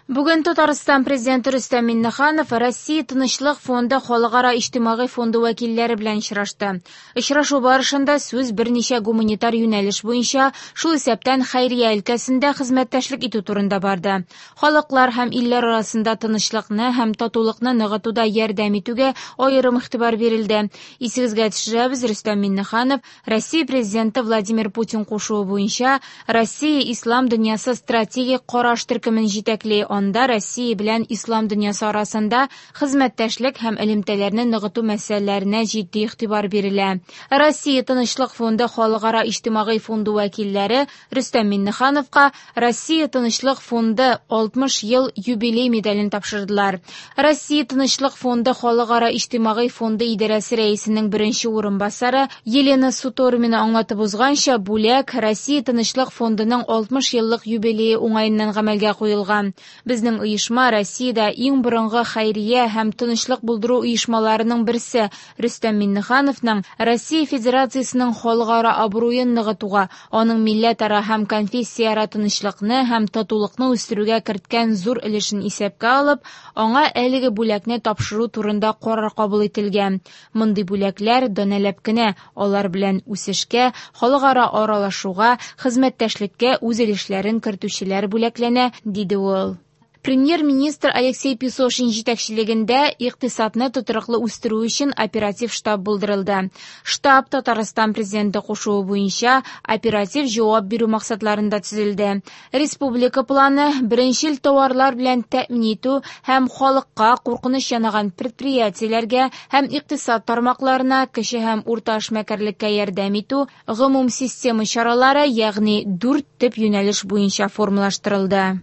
Бүген Татарстан Президенты Рөстәм Миңнеханов Россия Тынычлык фонды халыкара иҗтимагый фонды вәкилләре белән очрашты. Очрашу барышында сүз берничә гуманитар юнәлеш буенча, шул исәптән хәйрия өлкәсендә хезмәттәшлек итү турында барды. Халыклар һәм илләр арасында тынычлыкны һәм татулыкны ныгытуда ярдәм итүгә аерым игътибар бирелде. Исегезгә төшерәбез, Рөстәм Миңнеханов Россия Президенты Владимир Путин кушуы буенча Россия Ислам дөньясы стратегик караш төркемен җитәкли. Анда Россия белән Ислам дөньясы арасында хезмәттәшлек һәм элемтәләрне ныгыту мәсьәләләренә җитди игътибар бирелә. Россия Тынычлык фонды халыкара иҗтимагый фонды вәкилләре Рөстәм Миңнехановка Россия Тынычлык фонды 60 ел юбилей медален тапшырдылар. Россия Тынычлык фонды халыкара иҗтимагый фонды идарәсе рәисенең беренче урынбасары Елена Сутормина аңлатып узганча, бүләк Россия Тынычлык фондының 60 еллык юбилее уңаеннан гамәлгә куелган. Безнең оешма Россиядә иң борынгы хәйрия һәм тынычлык булдыру оешмаларының берсе. Рөстәм Миңнехановның Россия Федерациясенең халыкара абруен ныгытуга, аның милләтара һәм конфессияара тынычлыкны һәм татулыкны үстерүгә керткән зур өлешен исәпкә алып, аңа әлеге бүләкне тапшыру турында карар кабул ителгән. Мондый бүләкләр данәләп кенә, алар белән үсешкә, халыкара аралашуга, хезмәттәшлеккә үз өлешләрен кертүчеләр бүләкләнә, диде ул. Премьер-министр Алексей Песошин җитәкчелегендә икътисадны тотрыклы үстерү өчен оператив штаб булдырылды. Штаб Татарстан президенты кушуы буенча оператив җавап бирү максатларында төзелде. Республика планы беренчел товарлар белән тәэмин итү һәм халыкка куркыныч янаган предприятиеләргә һәм икътисад тармакларына, кече һәм урта эшмәкәрлеккә ярдәм итү гомум система чаралары, ягъни дүрт төп юнәлеш буенча формалаштырылды.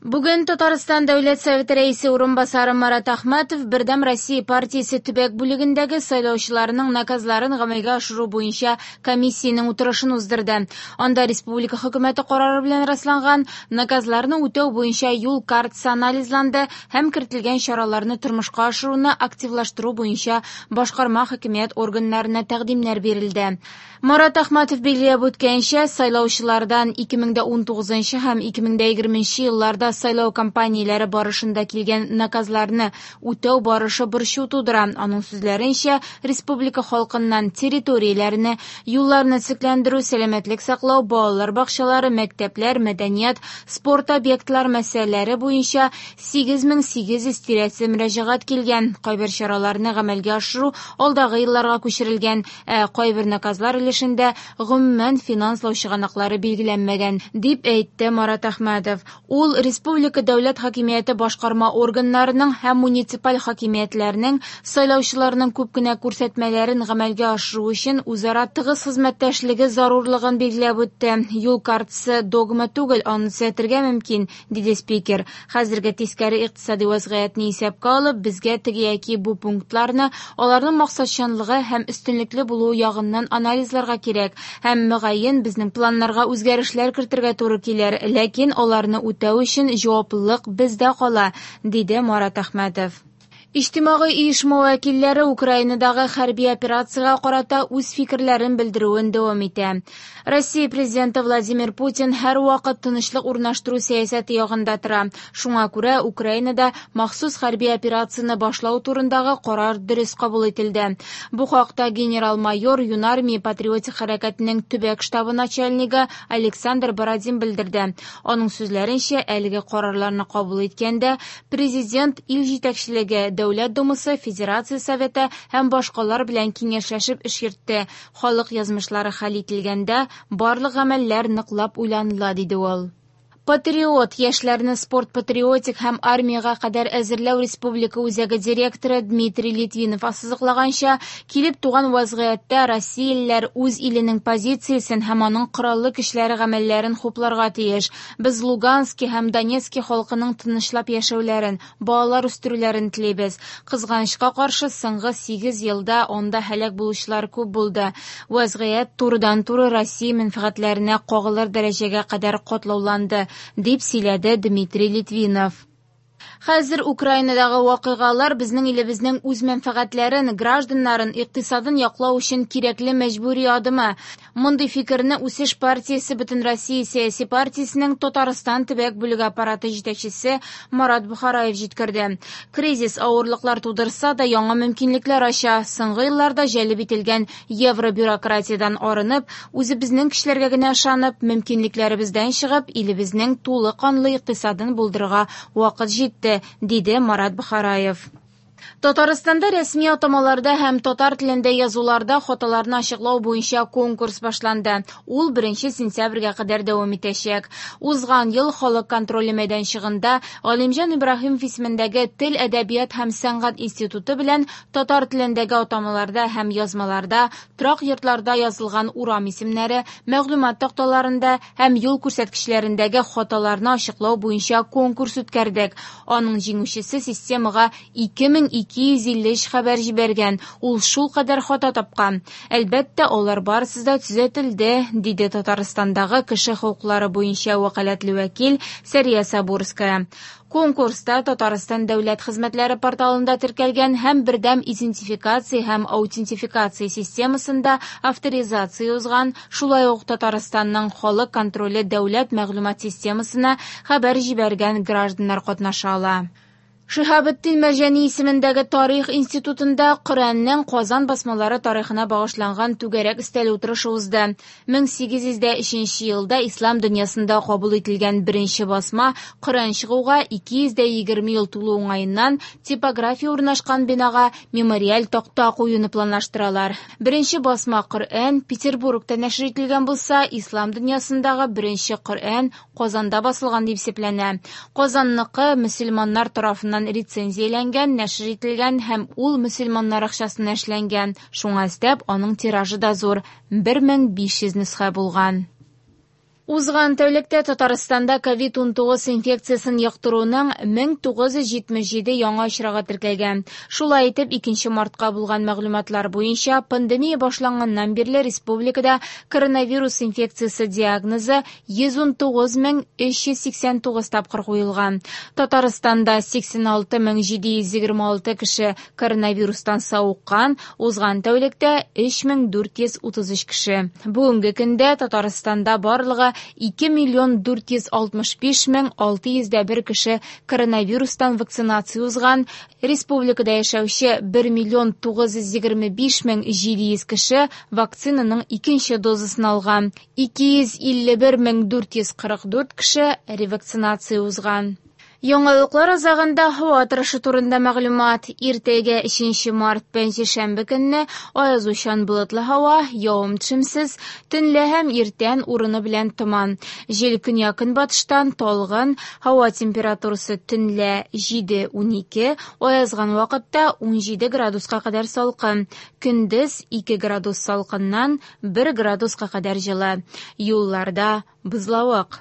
Бүген Татарстан Дәүләт Советы Рәисе урынбасары Марат Әхмәтов Бердәм Россия партиясе төбәк бүлегендәге сайлаучыларның наказларын гамәлгә ашыру буенча комиссиянең утырышын уздырды. Анда республика хөкүмәте карары белән расланган наказларны үтәү буенча юл картасы анализланды һәм кертелгән чараларны тормышка ашыруны активлаштыру буенча башкарма хакимият органнарына тәкъдимнәр бирелде. Марат Әхмәтов билгеләп үткәнчә, сайлаучылардан 2019 һәм 2020 елларда сайлау кампанияләре барышында килгән наказларны үтәү барышы борчу тудыра. Аның сүзләренчә, республика халкыннан территорияләрне, юлларны төзекләндерү, сәламәтлек саклау, балалар бакчалары, мәктәпләр, мәдәният, спорт объектлары мәсьәләләре буенча 8800 тирәсе мөрәҗәгать килгән. Кайбер чараларны гамәлгә ашыру алдагы елларга күчерелгән, ә кайбер наказлар өлешендә гомумән финанслау чыганаклары билгеләнмәгән, дип әйтте Марат Әхмәтов. Ул республика дәүләт хакимияте башкарма органнарының һәм муниципаль хакимиятләрнең сайлаучыларның күп кенә күрсәтмәләрен гамәлгә ашыру өчен үзара тыгыз хезмәттәшлеге зарурлыгын билгеләп үтте. Юл картасы догма түгел, аны төзәтергә мөмкин, диде спикер. Хәзерге тискәре икътисади вазгыятьне исәпкә алып, безгә теге яки бу пунктларны аларның максатчанлыгы һәм өстенлекле булуы ягыннан анализларга кирәк һәм мөгаен безнең планнарга үзгәрешләр кертергә туры килер, ләкин аларны үтәү өчен җаваплылык бездә кала, диде Марат Әхмәтов. Иҗтимагый оешма вәкилләре Украинадагы хәрби операциягә карата үз фикерләрен белдерүен дәвам итә. Россия президенты Владимир Путин һәрвакыт тынычлык урнаштыру сәясәте ягында тора. Шуңа күрә Украинада махсус хәрби операцияне башлау турындагы карар дөрес кабул ителде. Бу хакта генерал-майор Юнармия патриотик хәрәкәтенең төбәк штабы начальнигы Александр Бородин белдерде. Аның сүзләренчә, әлеге карарларны кабул иткәндә президент ил җитәкчелеге, Дәүләт Думасы, Федерация Советы һәм башкалар белән киңәшләшеп эш йөртте. Халык язмышлары хәл ителгәндә барлык гамәлләр ныклап уйланыла, диде ул. Патриот яшьләрне спорт патриотик һәм армиягә кадәр әзерләү республика үзәге директоры Дмитрий Литвинов ассызыклаганча, килеп туган вазгыятьтә россиялеләр үз иленең позициясен һәм аның кораллы көчләре гамәлләрен хупларга тиеш. Без Лугански һәм Донецки халкының тынычлап яшәүләрен, балалар үстерүләрен телибез. Кызганычка каршы, соңгы 8 елда анда һәлак булучылар күп булды. Вазгыять турыдан-туры Россия мәнфәгатьләренә кагылыр дәрәҗәгә кадәр катлауланды, дип сөйләде Дмитрий Литвинов. Хәзер Украинадагы вакыйгалар безнең илебезнең үз мәнфәгатьләрен, гражданнарын, икътисадын яклау өчен кирәкле мәҗбүри адымы. Мондый фикерне "Үсеш партиясе" Бөтенроссия сәяси партиясенең Татарстан төбәк бүлеге аппараты җитәкчесе Марат Бохараев җиткерде. Кризис авырлыклар тудырса да, яңа мөмкинлекләр ача. Соңгы елларда җәлеп ителгән евробюрократиядән арынып, үзебезнең көчләргә генә ышанып, мөмкинлекләребездән чыгып, илебезнең тулы канлы икътисадын булдырырга вакыт җитте, диде Марат Бохараев. Татарстанда рәсми атамаларда һәм татар телендә язуларда хаталарны ачыклау буенча конкурс башланды. Ул 1 сентябрьгә кадәр дәвам итәчәк. Узган ел Халык контроле мәйданчыгында Галимҗан Ибраһимов исемендәге Тел, әдәбият һәм сәнгать институты белән татар телендәге атамаларда һәм язмаларда, торак йортларда язылган урам исемнәре, мәгълүмат такталарында һәм юл күрсәткечләрендәге хаталарны ачыклау буенча конкурс үткәрдек. Аның җиңүчесе системага 2253 хәбәр җибәргән, ул шулкадәр хата тапкан. Әлбәттә, алар барысы да төзәтелде, диде Татарстандагы кеше хокуклары буенча вәкаләтле вәкил Сәрия Сабурская. Конкурста Татарстан дәүләт хезмәтләре порталында теркәлгән һәм бердәм идентификация һәм аутентификация системасында авторизация узган, шулай ук Татарстанның Халык контроле дәүләт мәгълүмат системасына хәбәр җибәргән гражданнар катнаша ала. Шиһабетдин Мәрҗани исемендәге Тарих институтында Коръәннең Казан басмалары тарихына багышланган түгәрәк өстәл утырышы узды. 1803 елда ислам дөньясында кабул ителгән беренче басма Коръән чыгуга 220 ел тулу уңаеннан типография урнашкан бинага мемориаль такта куюны планлаштыралар. Беренче басма Коръән Петербургта нәшер ителгән булса, ислам дөньясындагы беренче Коръән Казанда басылган дип исәпләнә. Казанныкы мөселманнар тарафыннан рецензияләнгән, нәшер ителгән һәм ул мөселманнар акчасына эшләнгән. Шуңа өстәп, аның тиражы да зур – 1500 нөсхә булган. Узган тәүлектә Татарстанда COVID-19 инфекциясен йоктыруның 1977 яңа очрагы теркәлгән. Шулай итеп, 2 мартка булган мәгълүматлар буенча, пандемия башланганнан бирле республикада коронавирус инфекциясе диагнозы 119389 тапкыр куелган. Татарстанда 86726 кеше коронавирустан савыккан, узган тәүлектә 3433 кеше. Бүгенге көндә Татарстанда барлыгы 2 миллион 465 мең 601 кеше коронавирустан вакцинация узган, республикада яшәүче 1 миллион 925 мең 700 кеше вакцинаның икенче дозасын алган, 251 мең 444 кеше ревакцинация узган. Яңалыклар азагында һава торышы турында мәгълүмат. Иртәгә 3 март пәнҗешәмбе көнне аязучан болытлы һава, явым-төшемсез, төнлә һәм иртән урыны белән томан. Җил көньяк-көнбатыштан талгын, һава температурасы төнлә 7-12, аязган вакытта 17 градуска кадәр салкын. Көндез 2 градус салкыннан 1 градуска кадәр җылы. Юлларда бозлавык.